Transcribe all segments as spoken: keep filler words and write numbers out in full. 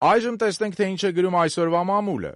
Այժմ տեսնենք, թե ինչ է գրում այսօրվա մամուլը։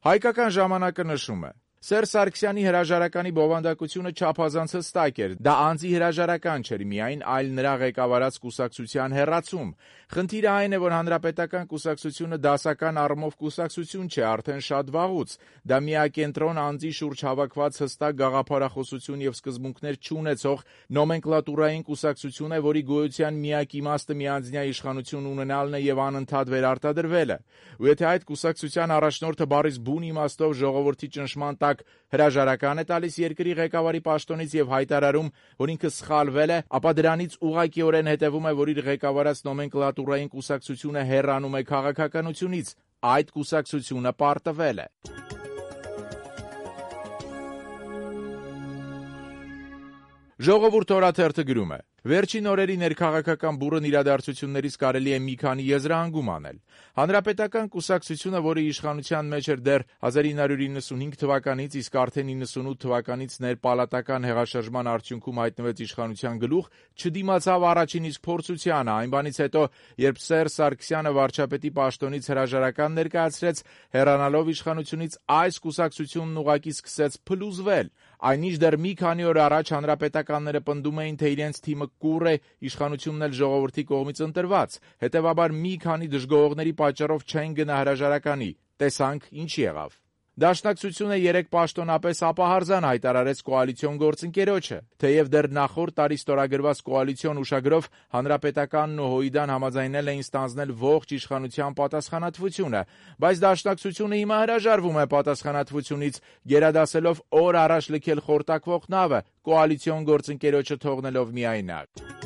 Հայկական ժամանակը նշում է. Սերժ Սարգսյանի հրաժարականի բովանդակությունը չափազանց հստակ էր, դա անձի հրաժարական չէր միայն, այլ նրա ղեկավարած կուսակցության հեռացում։ Խնդիրը այն է, որ հանրապետական կուսակցությունը դասական առումով կուսակցություն չէ արդեն շատ վաղուց, դա միակենտրոն անձի շուրջ հավաքված հստակ գաղափարախոսություն եւ սկզբունքներ չունեցող նոմենկլատուրային կուսակցություն է, որի գոյության միակ իմաստը միանձնյա իշխանություն ունենալն է եւ անընդհատ վերարտադրվելը։ Ու եթե այդ կուսակցության առաջնորդը բառից բուն իմաստով ժողովրդի ճնշման տակ հրաժարական է տալիս երկրի ղեկավարի պաշտոնից եւ հայտարարում, որ ինքը սխալվել է, ապա դրանից ուղղակիորեն հետևում է, որ իր ղեկավարած նոմենկլատուրային կուսակցությունը հեռանում է քաղաքականությունից, այդ կուսակցությունը պարտվել է։ Ժողովուրդ օրաթերթը գրում է. Վերջին օրերի ներքաղաքական բուռն իրադարձություններից կարելի է մի քանի եզրահանգում անել։ Հանրապետական կուսակցությունը, որը իշխանության մեջ էր դեռ հազար ինը հարյուր իննսունհինգ թվականից, իսկ արդեն իննսունութ թվականից ներպալատական հեղաշրջման արդյունքում հայտնվեց իշխանության գլուխ, չդիմացավ առաջին իսկ փորձությանը, այն բանից հետո, երբ Սերժ Սարգսյանը վարչապետի պաշտոնից հրաժարական ներկայացրեց, հեռանալով իշխանությունից, այս կուսակցությունն ուղղակի սկսեց փլուզվել։ Այնինչ դեռ մի քանի օր առաջ հանրապետականները պնդում էին, թե իրենց թիմը կուռ է, իշխանությունն էլ ժողովրդի կողմից ընտրված, հետևաբար մի քանի դժգոհողների պատճառով չեն գնա հրաժարականի, տեսանք ինչ եղավ։ Դաշնակցությունը երեկ պաշտոնապես ապահարզան հայտարարեց կոալիցիոն գործընկերոջը, թեև դեռ նախորդ տարի ստորագրված կոալիցիոն ուշագրով Հանրապետականն ու ՀՅԴ-ն համաձայնել էին ստանձնել ողջ իշխանության պատասխանատվությունը, բայց Դաշնակցությունը հիմա հրաժարվում է պատասխանատվությունից, գերադասելով օր առաջ լքել խորտակվող նավը, կոալիցիոն գործընկերոջը թողնելով միայնակ։